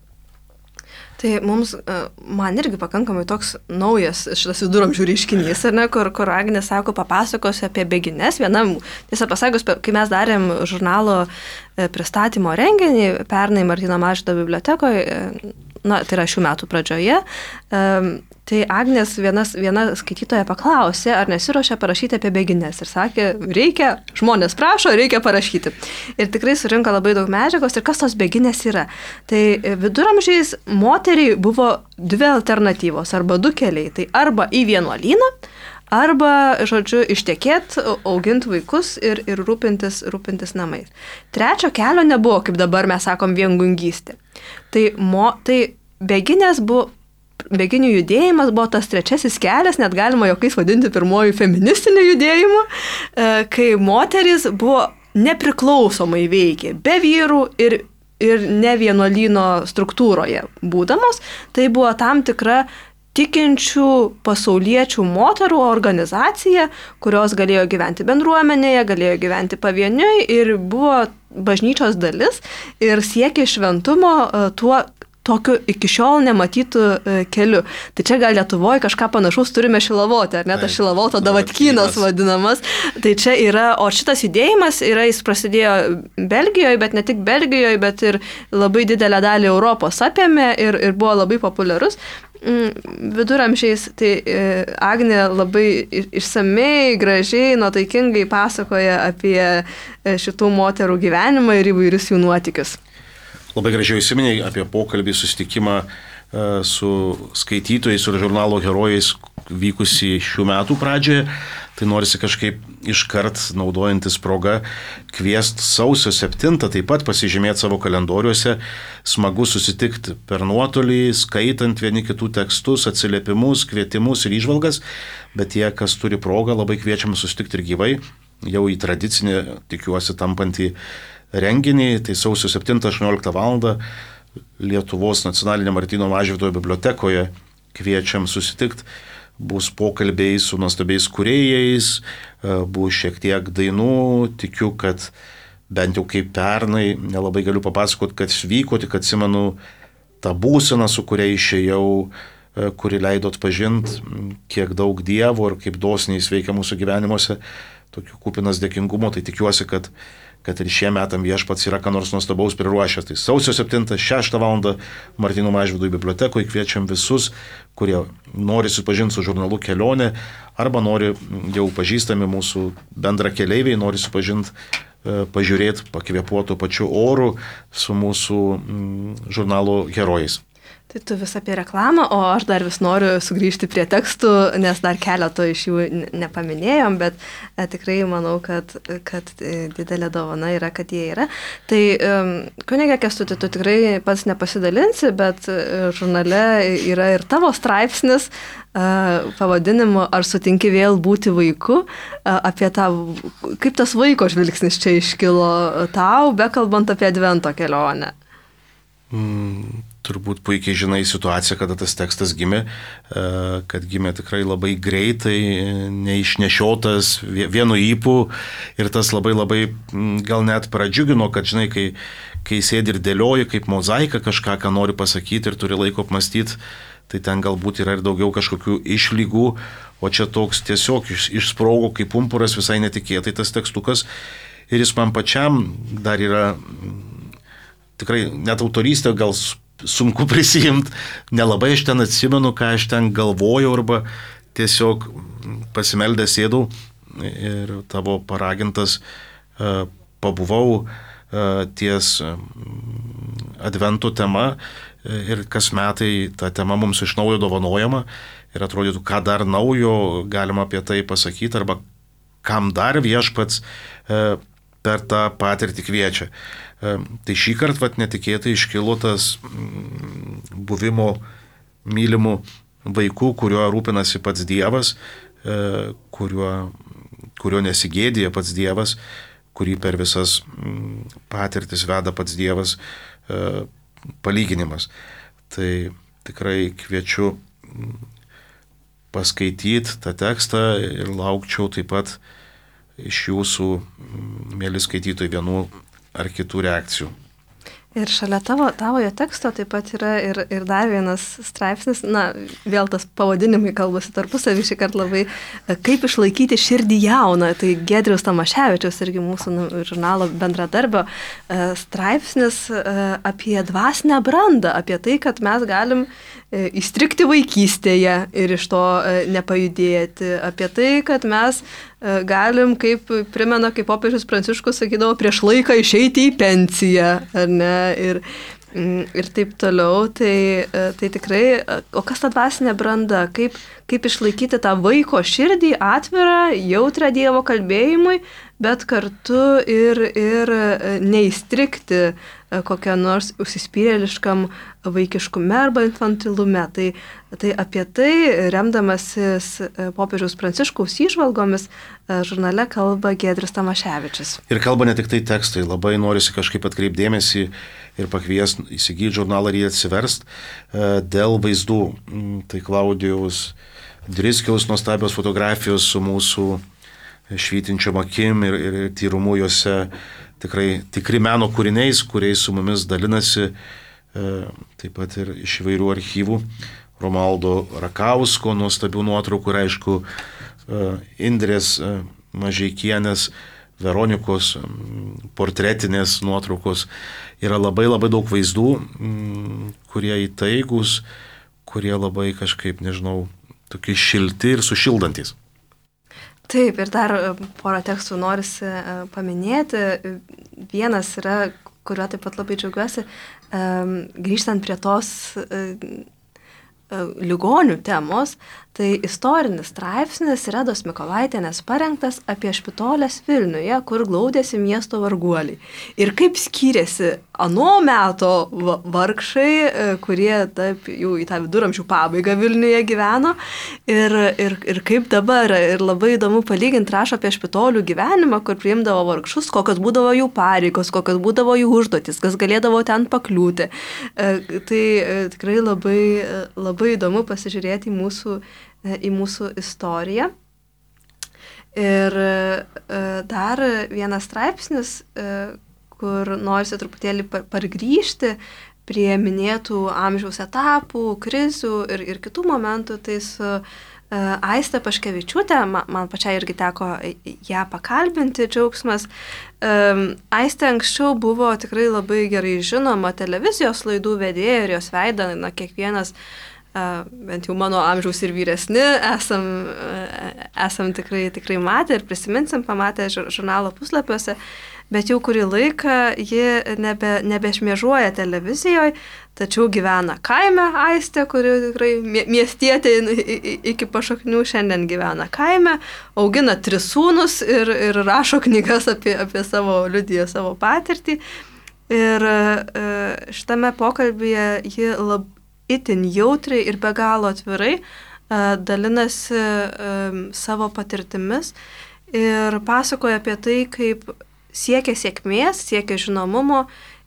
Tai mums, man irgi pakankamai toks naujas šitas viduramžių reiškinys, ar ne, kur, kur Agnė sako, papasakos apie bėgines. Vienam, tiesą pasakius, kai mes darėm žurnalo pristatymo renginį pernai Martyno Mažvydo bibliotekoje, na, tai yra šių metų pradžioje, tai Agnės vienas, viena skaitytoja paklausė, ar nesiruošia parašyti apie bėgines. Ir sakė, reikia, žmonės prašo, reikia parašyti. Ir tikrai surinko labai daug medžiagos. Ir kas tos bėginės yra? Tai viduramžiais moteriai buvo dvi alternatyvos, arba du keliai. Tai arba į vienuolyną, arba, žodžiu, ištekėt, auginti vaikus ir, ir rūpintis, rūpintis namais. Trečio kelio nebuvo, kaip dabar mes sakom, viengungystė. Tai, mo, tai bėginės buvo, bėginių judėjimas buvo tas trečiasis kelias, net galima jokiais vadinti pirmojų feministinių judėjimų, kai moteris buvo nepriklausomai veikė, be vyrų ir, ir ne vienuolyno struktūroje būdamos. Tai buvo tam tikra tikinčių pasauliečių moterų organizacija, kurios galėjo gyventi bendruomenėje, galėjo gyventi pavieniui ir buvo bažnyčios dalis ir siekė šventumo tuo tokiu iki šiol nematytų keliu. Tai čia gal Lietuvoje kažką panašaus turime Šilavotę, ar ne, tas Šilavoto Davatkynas vadinamas. Tai čia yra, o šitas judėjimas yra, jis prasidėjo Belgijoje, bet ne tik Belgijoje, bet ir labai didelę dalį Europos apėmė ir, ir buvo labai populiarus. Viduramžiais, tai Agnė labai išsamei, gražiai, nuotaikingai pasakoja apie šitų moterų gyvenimą ir įvairius jų nuotykius. Labai gražiai įsiminėjai apie pokalbį, susitikimą su skaitytojais ir žurnalo herojais vykusį šių metų pradžioje. Tai norisi kažkaip iškart, naudojantis progą, kviest sausio septintą taip pat pasižymėti savo kalendoriuose. Smagu susitikti per nuotolį, skaitant vieni kitų tekstus, atsiliepimus, kvietimus ir įžvalgas. Bet tie, kas turi progą, labai kviečiam susitikti ir gyvai. jau į tradicinį, tikiuosi, tampantį renginį. Tai sausio septintą aštuonioliktą valandą Lietuvos nacionalinė Martyno Mažvydo bibliotekoje kviečiam susitikti. Bus pokalbiai su nuostabiais kūrėjais, bus šiek tiek dainų. Tikiu, kad bent jau kaip pernai, nelabai galiu papasakoti, kad vyko, tik atsimenu tą būseną, su kuria išėjau, kuri leido atpažinti, kiek daug Dievo ir kaip dosniai jis veikia mūsų gyvenimuose, tokių kupinas dėkingumo. Tai tikiuosi, kad, kad ir šie metam Viešpats yra ką nors nuostabaus priruošęs. Tai sausio septintą šeštą valandą Martyno Mažvydo bibliotekoje kviečiam visus, kurie nori susipažinti su žurnalu Kelionė, arba nori jau pažįstami mūsų bendra keleiviai, nori susipažinti, pažiūrėti, pakvėpuoti pačiu oru su mūsų žurnalo herojais. Tai tu vis apie reklamą, o aš dar vis noriu sugrįžti prie tekstų, nes dar keleto iš jų nepaminėjom, bet e, tikrai manau, kad, kad didelė dovana yra, kad jie yra. Tai um, kunige Kęstuti, tu tikrai pats nepasidalinsi, bet žurnale yra ir tavo straipsnis uh, pavadinimu Ar sutinki vėl būti vaiku, uh, apie tą, kaip tas vaiko žvilgsnis čia iškilo tau, bekalbant apie Advento kelionę. Mm. Turbūt puikiai žinai situaciją, kada tas tekstas gimė, kad gimė tikrai labai greitai, neišnešiotas vienu ypu ir tas labai labai gal net pradžiugino, kad žinai, kai, kai sėdi ir dėlioji kaip mozaika kažką, ką nori pasakyti ir turi laiko apmastyti, tai ten galbūt yra ir daugiau kažkokių išlygų, o čia toks tiesiog iš, išsprogo kaip pumpuras visai netikėtai tas tekstukas ir jis man pačiam dar yra tikrai net autorystė gal sunku prisijimti, nelabai aš ten atsimenu, ką aš ten galvojau, arba tiesiog pasimeldęs sėdau ir tavo paragintas uh, pabuvau uh, ties uh, Advento tema ir kas metai ta tema mums iš naujo dovanojama ir atrodytų, ką dar naujo galima apie tai pasakyti, arba kam dar Viešpats uh, per tą patirtį kviečia. Tai šį kartą vat, netikėtai iškilo tas buvimo mylimų vaikų, kuriuo rūpinasi pats Dievas, kuriuo, kuriuo nesigėdija pats Dievas, kurį per visas patirtis veda pats Dievas palyginimas. Tai tikrai kviečiu paskaityti tą tekstą ir laukčiau taip pat iš jūsų, mėly skaitytojai, vienų ar kitų reakcijų. Ir šalia tavo, tavojo teksto taip pat yra ir, ir dar vienas straipsnis, na, vėl tas pavadinimai kalbasi tarpusavį šį kartą labai, kaip išlaikyti širdį jauną, tai Giedriaus Tamaševičiaus irgi mūsų žurnalo bendradarbio straipsnis apie dvasinę brandą, apie tai, kad mes galim įstrikti vaikystėje ir iš to nepajudėti, apie tai, kad mes galim, kaip primena, kaip popiežius Pranciškus sakydavo, prieš laiką išeiti į pensiją, ar ne, ir, ir taip toliau, tai, tai tikrai, o kas ta dvasinė branda, kaip, kaip išlaikyti tą vaiko širdį atvirą, jautrą Dievo kalbėjimui, bet kartu ir, ir neįstrikti kokią nors užsispyrėliškam vaikiškume arba infantilume. Tai, tai apie tai, remdamasis popiežiaus Pranciškaus įžvalgomis, žurnale kalba Giedrius Tamaševičius. Ir kalba ne tik tai tekstai, labai norisi kažkaip atkreipdėmėsi ir pakvies įsigyti žurnalą ir jį atsiverst dėl vaizdų. Tai Klaudijaus Driskiaus nuostabios fotografijos su mūsų švytinčiom akim ir, ir tyrumu juose, tikrai tikri meno kūriniais, kuriais su mumis dalinasi, taip pat ir iš įvairių archyvų. Romaldo Rakausko nuostabių nuotraukų ir aišku Indrės Mažeikienės, Veronikos portretinės nuotraukos. Yra labai labai daug vaizdų, kurie įtaigus, kurie labai kažkaip, nežinau, tokie šilti ir sušildantis. Taip, ir dar porą tekstų norisi paminėti. Vienas yra, kuriuo taip pat labai džiaugiuosi, grįžtant prie tos ligonių temos, Tai istorinis straipsnis Redos Mikolaitienės parengtas apie Špitolės Vilniuje, kur glaudėsi miesto varguoliai. Ir kaip skyrėsi ano meto vargšai, kurie taip jau į tą viduramžių pabaigą Vilniuje gyveno, ir, ir, ir kaip dabar. Ir labai įdomu palyginti, rašo apie Špitolių gyvenimą, kur priimdavo vargšus, kokios būdavo jų pareigos, kokios būdavo jų užduotis, kas galėdavo ten pakliūti. Tai tikrai labai, labai įdomu pasižiūrėti į mūsų į mūsų istoriją. Ir dar vienas straipsnis, kur norisi truputėlį pargrįžti prie minėtų amžiaus etapų, krizių ir, ir kitų momentų, tai su Aiste Paškevičiūtė, man, man pačiai irgi teko ją pakalbinti, džiaugsmas. Aiste anksčiau buvo tikrai labai gerai žinoma televizijos laidų vedėja ir jos veidą, na, kiekvienas bent jau mano amžiaus ir vyresni, esam, esam tikrai, tikrai matę ir prisiminsim, pamatę žurnalo puslapiuose, bet jau kurį laiką ji nebe, nebešmėžuoja televizijoje, tačiau gyvena kaime Aistė, kuri tikrai miestietė iki pašaknių šiandien gyvena kaime, augina tris sūnus ir, ir rašo knygas apie, apie savo liudiją, savo patirtį. Ir šitame pokalbyje ji labai itin jautriai ir be galo atvirai uh, dalinasi uh, savo patirtimis ir pasakoja apie tai, kaip siekia sėkmės, siekia žinomumo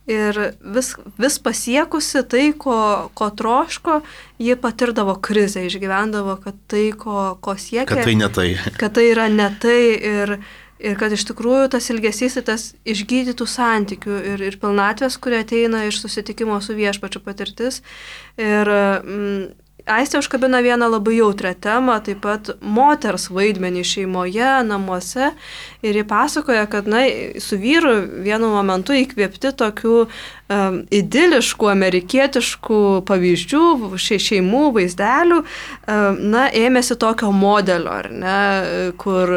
ir vis, vis pasiekusi tai, ko, ko troško, ji patirdavo krizę, išgyvendavo, kad tai, ko, ko siekia, kad tai ne tai. Kad tai yra ne tai ir Ir kad iš tikrųjų tas ilgesys, tas išgydytų santykių ir, ir pilnatvės, kurie ateina iš susitikimo su viešpačiu patirtis. Ir mm, Aistė užkabina vieną labai jautrią temą, taip pat moters vaidmenį šeimoje, namuose. Ir ji pasakoja, kad na, su vyru vienu momentu įkvėpti tokių um, idiliškų, amerikietiškų pavyzdžių, še, šeimų, vaizdelių, um, na, ėmėsi tokio modelio, ar ne, kur,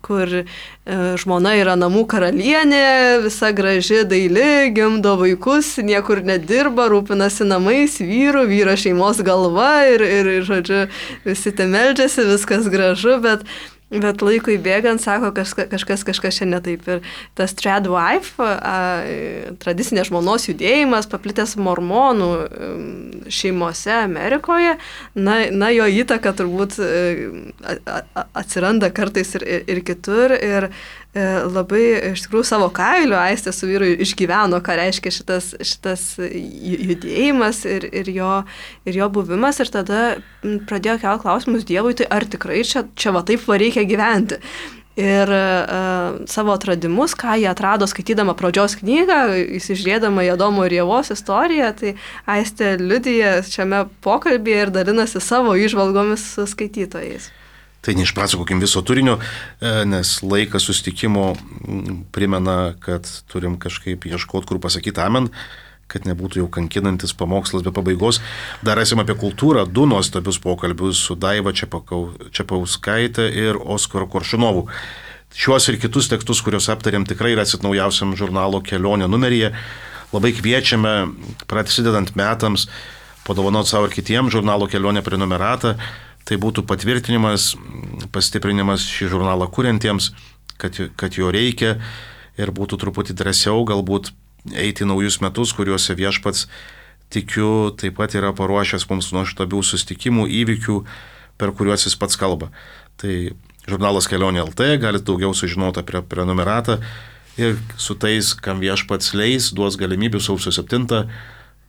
kur uh, žmona yra namų karalienė, visa graži, daili, gimdo vaikus, niekur nedirba, rūpinasi namais, vyru, vyro šeimos galva ir, ir, ir žodžiu, visi te meldžiasi, viskas gražu, bet Bet laikui bėgant, sako, kažkas, kažkas, kažkas čia ne taip. Ir tas trad wife, a, tradicinė žmonos judėjimas, paplitęs mormonų šeimose Amerikoje, na, na jo įtaka turbūt a, a, atsiranda kartais ir, ir, ir kitur. Ir e, labai, iš tikrųjų, savo kailiu Aistė su vyru išgyveno, ką reiškia šitas, šitas judėjimas ir, ir, jo, ir jo buvimas. Ir tada pradėjo kelti klausimus Dievui, tai ar tikrai čia, čia va taip va reikia gyventi. Ir uh, savo atradimus, ką jie atrado skaitydama pradžios knygą, įsižiūrėdama į Adomo ir Ievos istoriją, tai Aistė liudija šiame pokalbyje ir dalinasi savo įžvalgomis su skaitytojais. Tai neišpasakokim viso turinio, nes laikas susitikimo primena, kad turim kažkaip ieškoti, kur pasakyti amen, kad nebūtų jau kankinantis pamokslas be pabaigos. Dar esame apie kultūrą, du nuostabius pokalbius su Daiva Čepauskaitė ir Oskaru Koršunovu. Šiuos ir kitus tekstus, kuriuos aptarėm, tikrai rasit naujausiam žurnalo Kelionė numeryje. Labai kviečiame, prasidedant metams, padovanoti savo ir kitiems žurnalo Kelionė prenumeratą. Tai būtų patvirtinimas, pastiprinimas šį žurnalą kuriantiems, kad, kad jo reikia ir būtų truputį drąsiau galbūt eiti naujus metus, kuriuose viešpats, tikiu, taip pat yra paruošęs mums nuostabių susitikimų, įvykių, per kuriuos jis pats kalba. Tai žurnalas Kelionė L T, galite daugiau sužinoti apie prenumeratą ir su tais, kam viešpats leis, duos galimybių sausio septintą,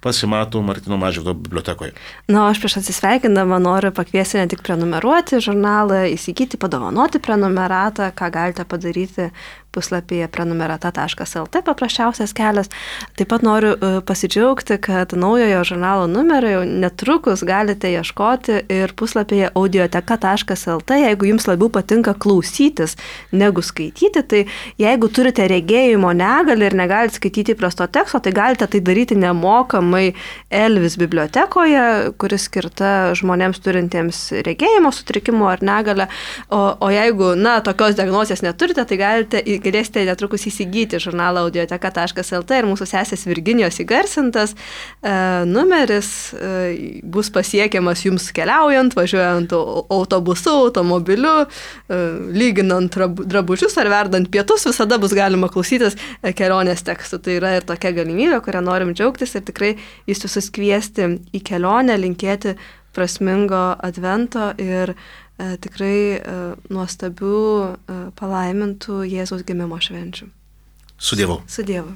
pasimato Martyno Mažvydo bibliotekoje. Na, aš prieš atsisveikindama noriu pakviesti ne tik prenumeruoti žurnalą, įsigyti, padovanoti prenumeratą, ką galite padaryti puslapyje prenumerata taškas el t, paprasčiausias kelias. Taip pat noriu pasidžiaugti, kad naujojo žurnalo numerio jau netrukus galite ieškoti ir puslapyje audioteka taškas el t, jeigu jums labiau patinka klausytis negu skaityti, tai jeigu turite regėjimo negalią ir negalite skaityti įprasto teksto, tai galite tai daryti nemokamai Elvis bibliotekoje, kuris skirta žmonėms turintiems regėjimo sutrikimų ar negalę. O, o jeigu, na, tokios diagnozės neturite, tai galite į galėsite netrukus įsigyti žurnalą audioteka taškas el tė ir mūsų sesės Virginijos įgarsintas e, numeris e, bus pasiekiamas jums keliaujant, važiuojant autobusu, automobiliu, e, lyginant drabužius ar verdant pietus, visada bus galima klausytis kelionės tekstų. Tai yra ir tokia galimybė, kurią norim džiaugtis ir tikrai jūs visus kviesti į kelionę, linkėti prasmingo advento ir e, tikrai e, nuostabių, e, palaimintų Jėzaus gimimo švenčių. Su Dievu. Su Dievu.